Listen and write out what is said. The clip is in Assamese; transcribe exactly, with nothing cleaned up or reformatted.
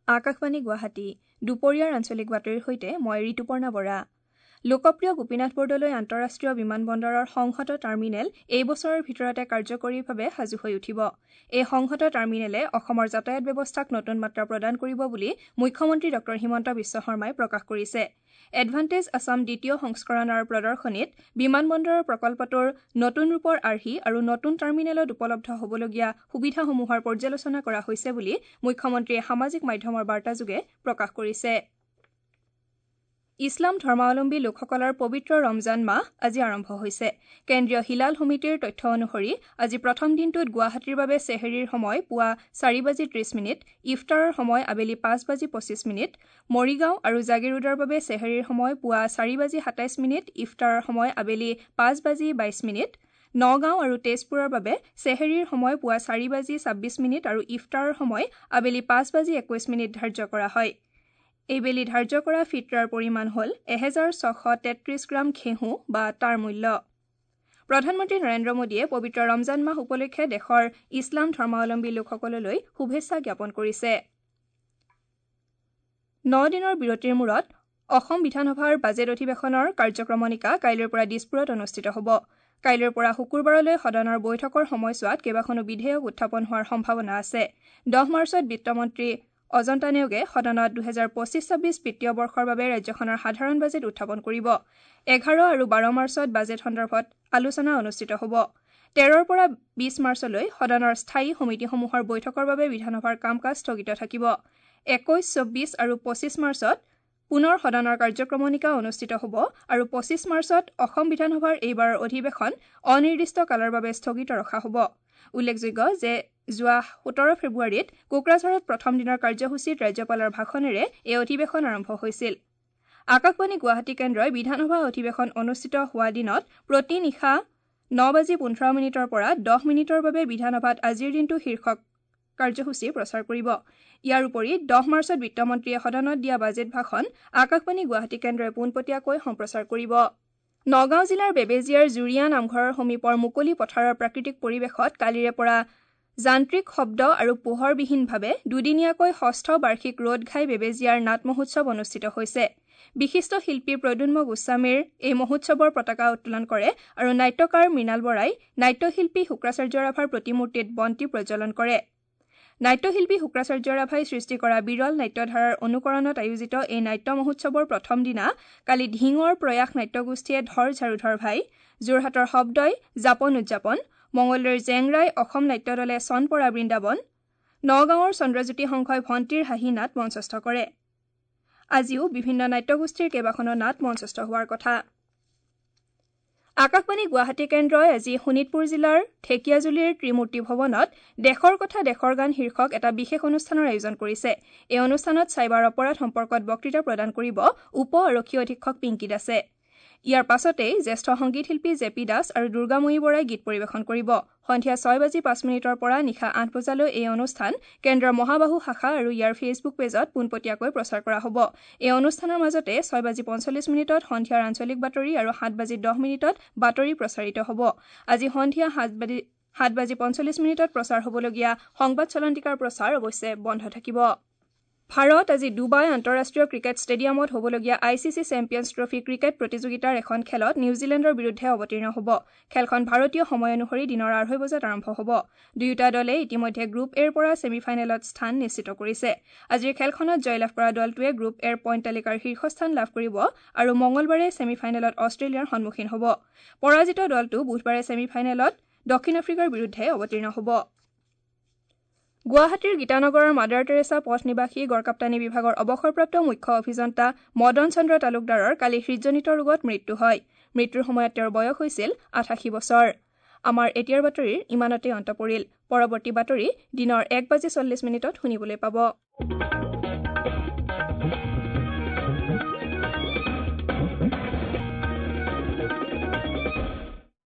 আকাশবাণী গুৱাহাটী দুপৰীয়াৰ আঞ্চলিক বাতৰিৰ সৈতে মই ঋতুপৰ্ণা বৰা। লোকপ্ৰিয় গোপীনাথ বৰদলৈ আন্তঃৰাষ্ট্ৰীয় বিমানবন্দৰৰ সংহত টাৰ্মিনেল এই বছৰৰ ভিতৰতে কাৰ্যকৰীভাৱে সাজু হৈ উঠিব। এই সংহত টাৰ্মিনেলে অসমৰ যাতায়াত ব্যৱস্থাক নতুন মাত্ৰা প্ৰদান কৰিব বুলি মুখ্যমন্ত্ৰী ডঃ হিমন্ত বিশ্ব শৰ্মাই প্ৰকাশ কৰিছে। এডভান্টেজ আছাম দ্বিতীয় সংস্কৰণৰ প্ৰদৰ্শনীত বিমানবন্দৰৰ প্ৰকল্পটোৰ নতুন ৰূপৰ আৰ্হি আৰু নতুন টাৰ্মিনেলত উপলব্ধ হ'বলগীয়া সুবিধাসমূহৰ পৰ্যালোচনা কৰা হৈছে বুলি মুখ্যমন্ত্ৰীয়ে সামাজিক মাধ্যমৰ বাৰ্তাযোগে প্ৰকাশ কৰিছে। ইছলাম ধৰ্মাৱলম্বী লোকসকলৰ পবিত্ৰ ৰমজান মাহ আজি আৰম্ভ হৈছে। কেন্দ্ৰীয় হিলাল সমিতিৰ তথ্য অনুসৰি আজি প্ৰথম দিনটোত গুৱাহাটীৰ বাবে চেহেৰীৰ সময় পুৱা চাৰি বাজি ত্ৰিশ মিনিট, ইফতাৰৰ সময় আবেলি পাঁচ বাজি পঁচিছ মিনিট, মৰিগাঁও আৰু জাগীৰোডৰ বাবে চেহেৰীৰ সময় পুৱা চাৰি বাজি সাতাইছ মিনিট, ইফতাৰৰ সময় আবেলি পাঁচ বাজি বাইছ মিনিট, নগাঁও আৰু তেজপুৰৰ বাবে চেহেৰীৰ সময় পুৱা চাৰি বাজি ছাব্বিছ মিনিট আৰু ইফতাৰৰ সময় আবেলি পাঁচ বাজি একৈছ মিনিট ধাৰ্য কৰা হয়। এইবেলি ধাৰ্য কৰা ফিটৰাৰ পৰিমাণ হ'ল এহেজাৰ ছশ তেত্ৰিছ গ্ৰাম ঘেঁহু বা তাৰ মূল্য। প্ৰধানমন্ত্ৰী নৰেন্দ্ৰ মোদীয়ে পবিত্ৰ ৰমজান মাহ উপলক্ষে দেশৰ ইছলাম ধৰ্মাৱলম্বী লোকসকললৈ শুভেচ্ছা জ্ঞাপন কৰিছে। ন দিনৰ বিৰতিৰ মূৰত অসম বিধানসভাৰ বাজেট অধিৱেশনৰ কাৰ্যক্ৰমণিকা কাইলৈৰ পৰা দিছপুৰত অনুষ্ঠিত হ'ব। কাইলৈৰ পৰা শুকুৰবাৰলৈ সদনৰ বৈঠকৰ সময়ছোৱাত কেইবাখনো বিধেয়ক উত্থাপন হোৱাৰ সম্ভাৱনা আছে। দহ মাৰ্চত বিত্তমন্ত্ৰী অজন্তা নেওগে সদনত দুহেজাৰ পঁচিছ ছাব্বিছ বিত্তীয় বৰ্ষৰ বাবে ৰাজ্যখনৰ সাধাৰণ বাজেট উত্থাপন কৰিব। এঘাৰ আৰু বাৰ মাৰ্চত বাজেট সন্দৰ্ভত আলোচনা অনুষ্ঠিত হ'ব। তেৰৰ পৰা বিছ মাৰ্চলৈ সদনৰ স্থায়ী সমিতিসমূহৰ বৈঠকৰ বাবে বিধানসভাৰ কাম কাজ স্থগিত থাকিব। একৈছ, চৌব্বিছ আৰু পঁচিছ মাৰ্চত পুনৰ সদনৰ কাৰ্যক্ৰমণিকা অনুষ্ঠিত হ'ব আৰু পঁচিছ মাৰ্চত অসম বিধানসভাৰ এইবাৰৰ অধিৱেশন অনিৰ্দিষ্ট কালৰ বাবে স্থগিত ৰখা হ'ব। উল্লেখযোগ্য যে যোৱা সোতৰ ফেব্ৰুৱাৰীত কোকৰাঝাৰত প্ৰথম দিনৰ কাৰ্যসূচীত ৰাজ্যপালৰ ভাষণেৰে এই অধিৱেশন আৰম্ভ হৈছিল। আকাশবাণী গুৱাহাটী কেন্দ্ৰই বিধানসভা অধিৱেশন অনুষ্ঠিত হোৱা দিনত প্ৰতি নিশা ন বাজি পোন্ধৰ মিনিটৰ পৰা দহ মিনিটৰ বাবে বিধানসভাত আজিৰ দিনটো শীৰ্ষক কাৰ্যসূচী প্ৰচাৰ কৰিব। ইয়াৰ উপৰি দহ মাৰ্চত বিত্তমন্ত্ৰীয়ে সদনত দিয়া বাজেট ভাষণ আকাশবাণী গুৱাহাটী কেন্দ্ৰই পোনপটীয়াকৈ সম্প্ৰচাৰ কৰিব। নগাঁও জিলাৰ বেবেজীয়াৰ জুৰীয়া নামঘৰৰ সমীপৰ মুকলি পথাৰৰ প্ৰাকৃতিক পৰিৱেশত কালিৰে পৰা যান্ত্ৰিক শব্দ আৰু পোহৰবিহীনভাৱে দুদিনীয়াকৈ ষষ্ঠ বাৰ্ষিক ৰ'দঘাই বেবেজীয়াৰ নাট মহোৎসৱ অনুষ্ঠিত হৈছে। বিশিষ্ট শিল্পী প্ৰদ্যুন্ম গোস্বামীৰ এই মহোৎসৱৰ পতাকা উত্তোলন কৰে আৰু নাট্যকাৰ মৃণাল বৰাই নাট্যশিল্পী শুক্ৰাচাৰ্য ৰাভাৰ প্ৰতিমূৰ্তিত বন্তি প্ৰজ্বলন কৰে। নাট্যশিল্পী শুক্ৰাচাৰ্য ৰাভাই সৃষ্টি কৰা বিৰল নাট্যধাৰাৰ অনুকৰণত আয়োজিত এই নাট্য মহোৎসৱৰ প্ৰথম দিনা কালি ঢিঙৰ প্ৰয়াস নাট্যগোষ্ঠীয়ে ধৰ ঝাৰুধৰ ভাই, যোৰহাটৰ শব্দই জাপন উদযাপন, মঙলদৈৰ জেংৰাই অসম নাট্যদলে চনপৰা বৃন্দাবন, নগাঁৱৰ চন্দ্ৰজ্যোতি সংঘই ভণ্টিৰ হাঁহি নাট মঞ্চস্থ কৰে। আজিও বিভিন্ন নাট্যগোষ্ঠীৰ কেইবাখনো নাট মঞ্চস্থ হোৱাৰ কথা। আকাশবাণী গুৱাহাটী কেন্দ্ৰই আজি শোণিতপুৰ জিলাৰ ঢেকীয়াজুলিৰ ত্ৰিমূৰ্তি ভৱনত দেশৰ কথা দেশৰ গান শীৰ্ষক এটা বিশেষ অনুষ্ঠানৰ আয়োজন কৰিছে। এই অনুষ্ঠানত চাইবাৰ অপৰাধ সম্পৰ্কত বক্তৃতা প্ৰদান কৰিব উপ আৰক্ষী অধীক্ষক পিংকী দাসে। ইয়াৰ পাছতেই জ্যেষ্ঠ সংগীত শিল্পী জে পি দাস আৰু দুৰ্গাময়ী বৰাই গীত পৰিৱেশন কৰিব। সন্ধিয়া ছয় বাজি পাঁচ মিনিটৰ পৰা নিশা আঠ বজালৈ এই অনুষ্ঠান কেন্দ্ৰৰ মহাবাহু শাখা আৰু ইয়াৰ ফেচবুক পেজত পোনপটীয়াকৈ প্ৰচাৰ কৰা হ'ব। এই অনুষ্ঠানৰ মাজতে ছয় বাজি পঞ্চল্লিছ মিনিটত সন্ধিয়াৰ আঞ্চলিক বাতৰি আৰু সাত বাজি দহ মিনিটত বাতৰি প্ৰচাৰিত হ'ব। আজি সন্ধিয়া সাত বাজি সাত বাজি পঞ্চল্লিছ মিনিটত প্ৰচাৰ হ'বলগীয়া সংবাদ চলন্তিকাৰ প্ৰচাৰ অৱশ্যে বন্ধ থাকিব। ভাৰত আজি ডুবাই আন্তঃৰাষ্ট্ৰীয় ক্ৰিকেট ষ্টেডিয়ামত হ'বলগীয়া I C C Champions Trophy cricket প্ৰতিযোগিতাৰ এখন খেলত নিউজিলেণ্ডৰ বিৰুদ্ধে অৱতীৰ্ণ হ'ব। খেলখন ভাৰতীয় সময় অনুসৰি দিনৰ আঢ়ৈ বজাত আৰম্ভ হ'ব। দুয়োটা দলে ইতিমধ্যে গ্ৰুপ এৰ পৰা ছেমি ফাইনেলত স্থান নিশ্চিত কৰিছে। আজিৰ খেলখনত জয়লাভ কৰা দলটোৱে গ্ৰুপ এৰ পইণ্ট তালিকাৰ শীৰ্ষস্থান লাভ কৰিব আৰু মঙলবাৰে ছেমি ফাইনেলত অষ্ট্ৰেলিয়াৰ সন্মুখীন হ'ব। পৰাজিত দলটো বুধবাৰে ছেমি ফাইনেলত দক্ষিণ আফ্ৰিকাৰ বিৰুদ্ধে অৱতীৰ্ণ হ'ব। গুৱাহাটীৰ গীতানগৰৰ মাদাৰ টেৰেছা পথ নিবাসী গড়কাপ্তানী বিভাগৰ অৱসৰপ্ৰাপ্ত মুখ্য অভিযন্তা মদন চন্দ্ৰ তালুকদাৰৰ কালি হৃদজনিত ৰোগত মৃত্যু হয়। মৃত্যুৰ সময়ত তেওঁৰ বয়স হৈছিল আঠাশী বছৰ। আমাৰ এতিয়াৰ বাতৰিৰ ইমানতে অন্ত পৰিল। পৰৱৰ্তী বাতৰি দিনৰ এক বাজি চল্লিছ মিনিটত শুনিবলৈ পাব।